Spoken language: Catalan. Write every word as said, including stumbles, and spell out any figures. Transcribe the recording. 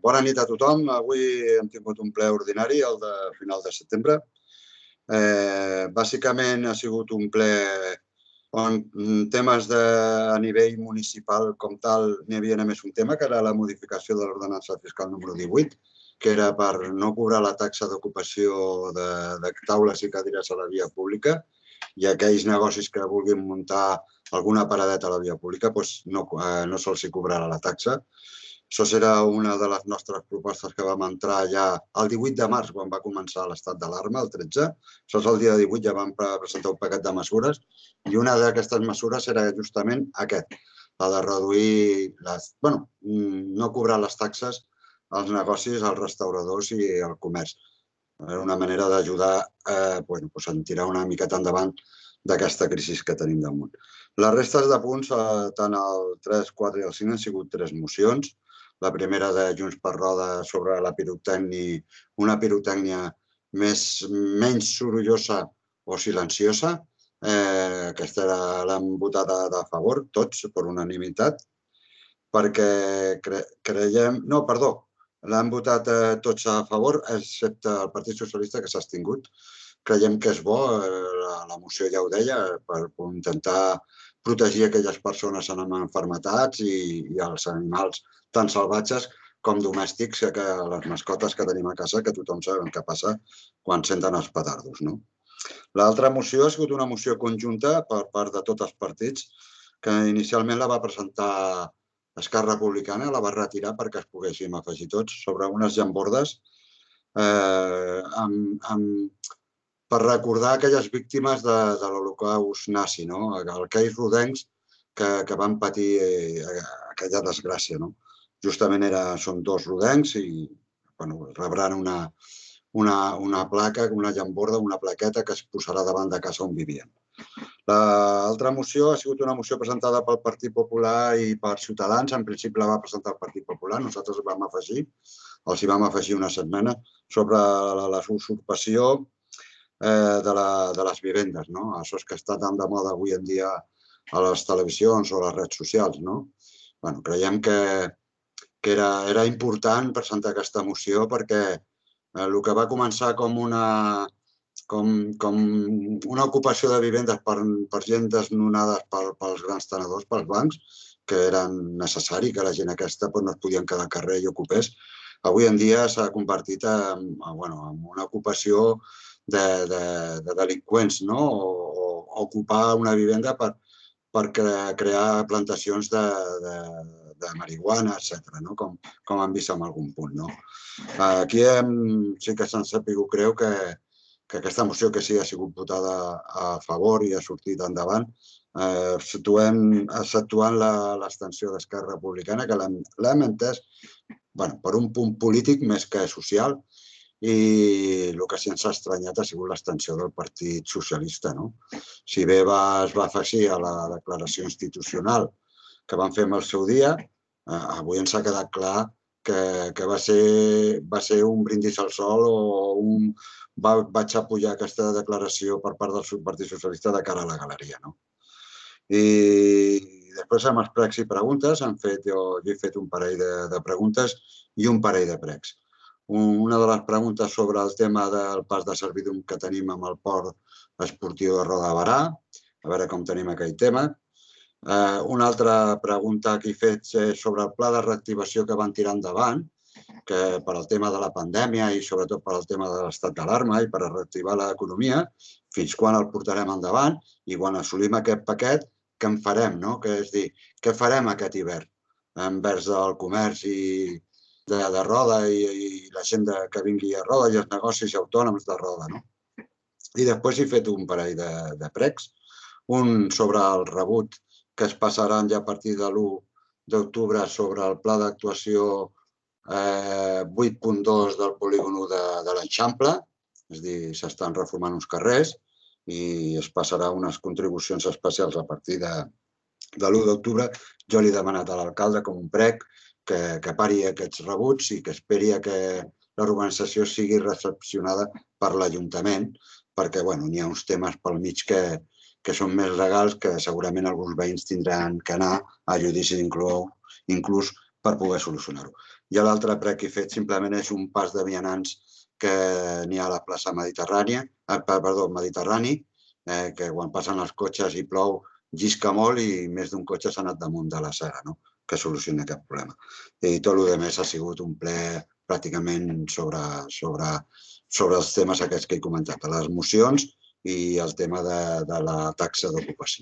Bona nit a tothom. Avui hem tingut un ple ordinari, el de final de setembre. Bàsicament ha sigut un ple on temes a nivell municipal com tal n'hi havia només un tema, que era la modificació de l'ordenança fiscal número divuit, que era per no cobrar la taxa d'ocupació de taules i cadires a la via pública, i aquells negocis que vulguin muntar alguna paradeta a la via pública no se'ls cobrarà la taxa. Això serà una de les nostres propostes que vam entrar ja el divuit de març, quan va començar l'estat d'alarma, el tretze. Això és el dia divuit, ja vam presentar un paquet de mesures, i una d'aquestes mesures era justament aquest, la de reduir, bueno, no cobrar les taxes als negocis, als restauradors i al comerç. Era una manera d'ajudar a tirar una miqueta endavant d'aquesta crisi que tenim damunt. Les restes de punts, tant el tres, quatre i el cinc, han sigut tres mocions. La primera de Junts per Roda sobre la pirotècnia, una pirotècnia menys sorollosa o silenciosa. Aquesta l'hem votat a favor, tots, per unanimitat, perquè creiem... No, perdó, l'hem votat tots a favor, excepte el Partit Socialista, que s'ha abstingut. Creiem que és bo, la moció ja ho deia, per intentar protegir aquelles persones amb malalties i els animals tant salvatges com domèstics, que les mascotes que tenim a casa, que tothom sap què passa quan senten els petardos. L'altra moció ha sigut una moció conjunta per part de tots els partits, que inicialment la va presentar Esquerra Republicana, la va retirar perquè es poguéssim afegir tots, sobre unes llambordes per recordar aquelles víctimes de l'Holocaust nazi, aquells rodencs que van patir aquella desgràcia. Justament són dos rodencs i rebran una placa, una llamborda, una plaqueta que es posarà davant de casa on vivien. L'altra moció ha sigut una moció presentada pel Partit Popular i per Ciutadans. En principi la va presentar el Partit Popular, nosaltres vam afegir, els hi vam afegir una setmana, sobre la usurpació de les vivendes. Això que està tan de moda avui en dia a les televisions o a les redes socials. Creiem que era important presentar aquesta moció perquè el que va començar com una ocupació de vivendes per gent desnonada pels grans tenedors, pels bancs, que era necessari que la gent aquesta no es podia quedar al carrer i ocupés, avui en dia s'ha convertit en una ocupació de delinqüents, o ocupar una vivenda per crear plantacions de marihuana, etcètera, com hem vist en algun punt. Aquí sí que se'ns ha sabut greu que aquesta moció, que sí ha sigut votada a favor i ha sortit endavant, exceptuant l'abstenció d'Esquerra Republicana, que l'hem entès per un punt polític més que social, i el que sí ens ha estranyat ha sigut l'abstenció del Partit Socialista. Si bé es va afegir a la declaració institucional que van fer en el seu dia, avui ens ha quedat clar que va ser un brindis al sol o un vaig apoyar aquesta declaració per part del Partit Socialista de cara a la galeria. I després, amb els pregs i preguntes, jo he fet un parell de preguntes i un parell de pregs. Una de les preguntes sobre el tema del pas de servidum que tenim amb el port esportiu de Roda de Berà, a veure com tenim aquell tema. Una altra pregunta que he fet és sobre el pla de reactivació que van tirar endavant, que per al tema de la pandèmia i sobretot per al tema de l'estat d'alarma i per a reactivar l'economia, fins quan el portarem endavant i quan assolim aquest paquet, què en farem? És a dir, què farem aquest hivern envers el comerç de Roda i la gent que vingui a Roda i els negocis autònoms de Roda. I després he fet un parell de pregs, un sobre el rebut que es passaran ja a partir de l'u d'octubre sobre el pla d'actuació vuit punt dos del polígon de l'Eixample, és a dir, s'estan reformant uns carrers i es passarà unes contribucions especials a partir de l'u d'octubre. Jo li he demanat a l'alcalde com un prec que pari aquests rebuts i que esperi que la urbanització sigui recepcionada per l'Ajuntament, perquè hi ha uns temes pel mig que són més legals que segurament alguns veïns tindran que anar a judici inclús per poder solucionar-ho. I l'altre ple que he fet simplement és un pas de vianants que n'hi ha a la plaça Mediterrània, perdó, Mediterrani, que quan passen els cotxes i plou llisca molt i més d'un cotxe s'ha anat damunt de la cera, que solucioni aquest problema. I tot el que més ha sigut un ple pràcticament sobre els temes aquests que he comentat, les mocions i el tema de la taxa d'ocupació.